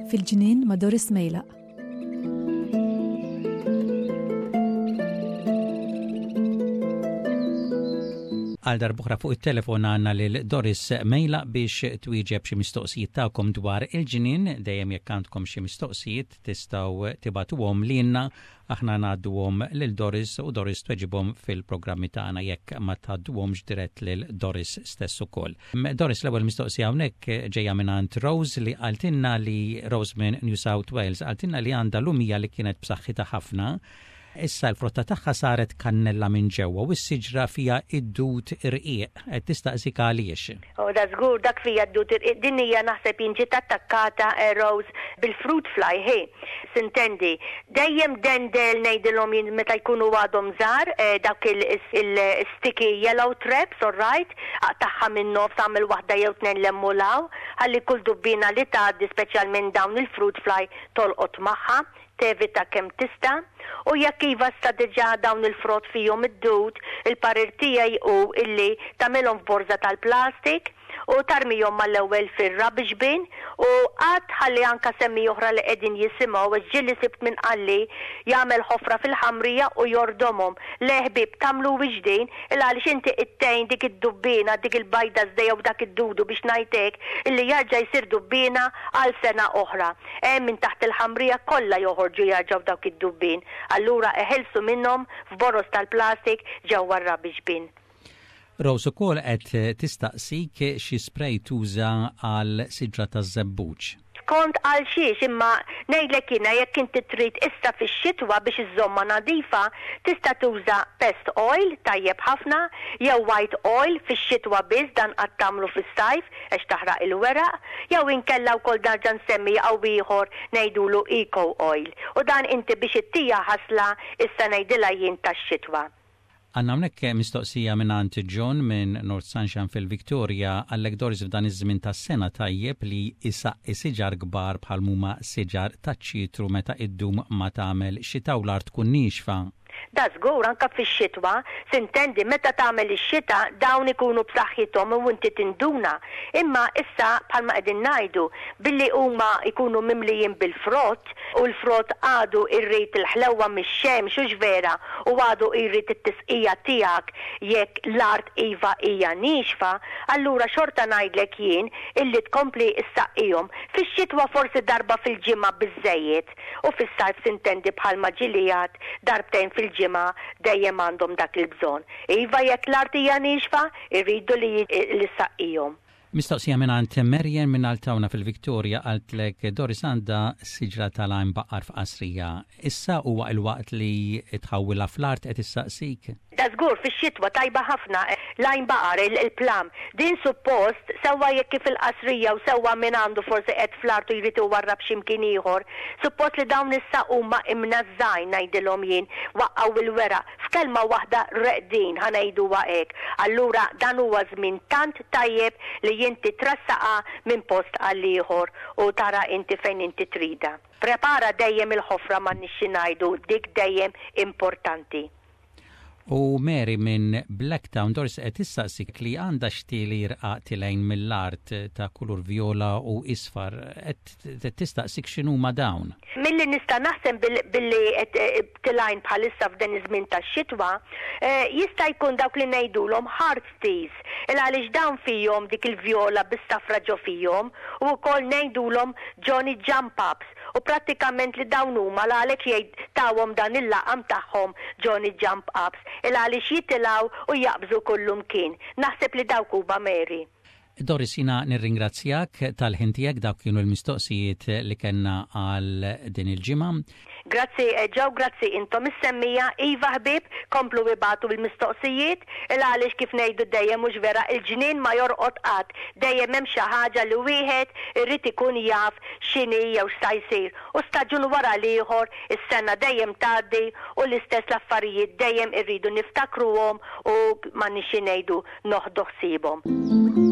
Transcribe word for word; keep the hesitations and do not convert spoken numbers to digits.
Fil-ġnien ma' Doris Mejlaq. Għal darb'oħra fuq it-telefon għandna lil Doris Mejlaq biex twieġeb xi mistoqsijiet tagħkom dwar il-ġnien. Dejjem jekk għandkom xi mistoqsijiet tistgħu tibagħtuhom lilna, aħna ngħadduhom lil Doris u Doris tweġibhom fil-programmi tagħna jekk ma tgħadduhomx dirett lil Doris stess ukoll. Doris, l-ewwel mistoqsija hawnhekk ġejja mingħand Rose li qaltilna li Rose minn New South Wales qaltilna li għandha lumija li kienet b'saħħitha ħafna. Issa l-frotta tagħha saret kannella minn ġewwa u s-siġra fiha id-dud irqiq. Qed tistaqsik għaliex. Oh, da żgur dak fija d-dud irqiq. Din hija naħseb jien ġiet attakkata eh, Rose bil-fruit fly, hi. Sintendi, dejjem dendel ngħidilhom jien meta jkunu għadhom żgħar, eh, dak il-sticky yellow traps, all right, aqtagħha minn nofs, għamel waħda jew tnejn lemmulaw, ħalli kull dubbina li tgħaddi, speċjalment dawn il-fruit fly, tolqot magħha, tevita kemm tista'. U jekk iva sta diġà dawn il-frott fihom id-dud, il-parir tiegħi hu illi tagħmilhom f'borża tal-plastik u tarmihom mal-ewwel fir-rubbish bin u qatt ħalli anka semmi oħra li qegħdin jisimgħu, għax ġieli sibt minn qalli jagħmel ħofra fil-ħamrija u jordomhom. Le ħbieb, tagħmlu din il għaliex inti ittejn dik id-dubbina, dik il-bajda żdejja u dak id-dudu biex ngħidlek illi jarġa' jsir dubbina għal sena oħra. Hemm minn taħt il-ħamrija kollha joħorġu jarġgħu dawk id-dubbin. Allura eħilsu minnhom f'boros tal-plastik ġewwa r-rubbish bin. Rose ukoll qed tistaqsik xi spray tuża għal siġra taż-żebbuġ. Kont għal xiex, imma ngħidlek jiena jekk inti trid issa fix-xitwa biex iżżommha nadifa, tista' tuża pest oil tajjeb ħafna jew white oil fix-xitwa biss, dan qatt tagħmlu fis-sajf għax taħraq il-weraq, jew inkella wkoll nerġa' nsemmi jew ieħor ngħidulu eco oil. U dan inti biex ittija ħasla issa ngħidilha jien tax-xitwa. Għandna hawnhekk mistoqsija minn John minn North Sunshine fil-Victoria. Għallek Doris, f'dan iż-żmien tas-sena tajjeb li isaqqi siġar kbar bħal huma siġar taċ-ċitru meta iddum ma tagħmel xita u l-art tkun niexfa? Da żgur, anka fix-xitwa, sintendi, meta tagħmel ix-xita dawn ikunu b'saħħithom u inti tinduna. Imma issa bħalma qegħdin ngħidu, billi huma jkunu mimlijin bil-frott u l-frott għadu irrid il-ħlewwa mix-xemx, hux vera, u għadu jrid it-tisqija tiegħek jekk l-art iva hija niexfa, allura xorta ngħidlek jien illi tkompli issaqqihom. Fix-xitwa forsi darba fil-ġimgħa biżejjed u fis-sajf sintendi bħalma ġilijat darbtejn fil-ġimgħa dejjem għandhom dak il-bżonn. Iva jekk l-art hija niexfa, irridu li li saqqihom. Mistoqsija minn Merjen minn Altawna fil-Victoria. Qaltlek Doris għandha siġra tal-għajnbaqar f'qasrija. Issa huwa il-waqt li tħawwilha fl-art, qed issaqsik? Da żgur, fix-xitwa tajba ħafna l-għajnbaqar, il-plum. Din suppost sewwa jekk kif il-qasrija u sewwa minn għandu forsi qed fl-art u jrid iwarrab x'imkien ieħor. Suppost li dawn issa huma imnażżajn ngħidilhom jien, waqqgħu il-weraq. F'kelma waħda reqdin, ħa ngħiduha hekk. Allura dan huwa żmien tant tajjeb li inti trassaqa minn post għal ieħor u tara inti fejn inti trida. Prepara dejjem il-ħofra, ma nixxi ngħidu dik dejjem importanti. U Mary minn Blacktown, Doris, qed tistaqsik li għandha xtieli rqaq tilgħin mill-art ta' kulur viola u isfar. Qed tistaqsik x'inhuma dawn. Milli nista' naħseb billi qed eh, tilgħin bħalissa f'dan iż-żmien tax-xitwa, eh, jista' jkun dawk li ngħidulhom heart teas. Il għaliex dawn fihom dik il-vjola bis-safra ġo fihom u wkoll ngħidulhom Johnny Jump Ups u prattikament li dawn huma għalhekk jgħid tawhom dan il-laqam tagħhom Johnny Jump Ups il għaliex jitilgħu u jaqbżu kullumkien. Naħseb li dawk huma, Mary. Doris, jiena nirringrazzjak tal-ħin tiegħek. Dawk kienu l-mistoqsijiet li kellna għal din il-ġimgħa. Grazzi Joe, grazzi intom is-semmiegħa. Iva ħbieb, komplu ibagħtu bil-mistoqsijiet il għaliex kif ngħidu dejjem, mhux vera, il-ġnien ma jorqod qatt. Dejjem hemm xi ħaġa li wieħed irrid ikun jaf x'inhi jew x'sa jsir. U staġun wara l-ieħor, is-sena dejjem tgħaddi u l-istess l-affarijiet dejjem irridu niftakruhom u ma nixi ngħidu noħdu ħsiebhom.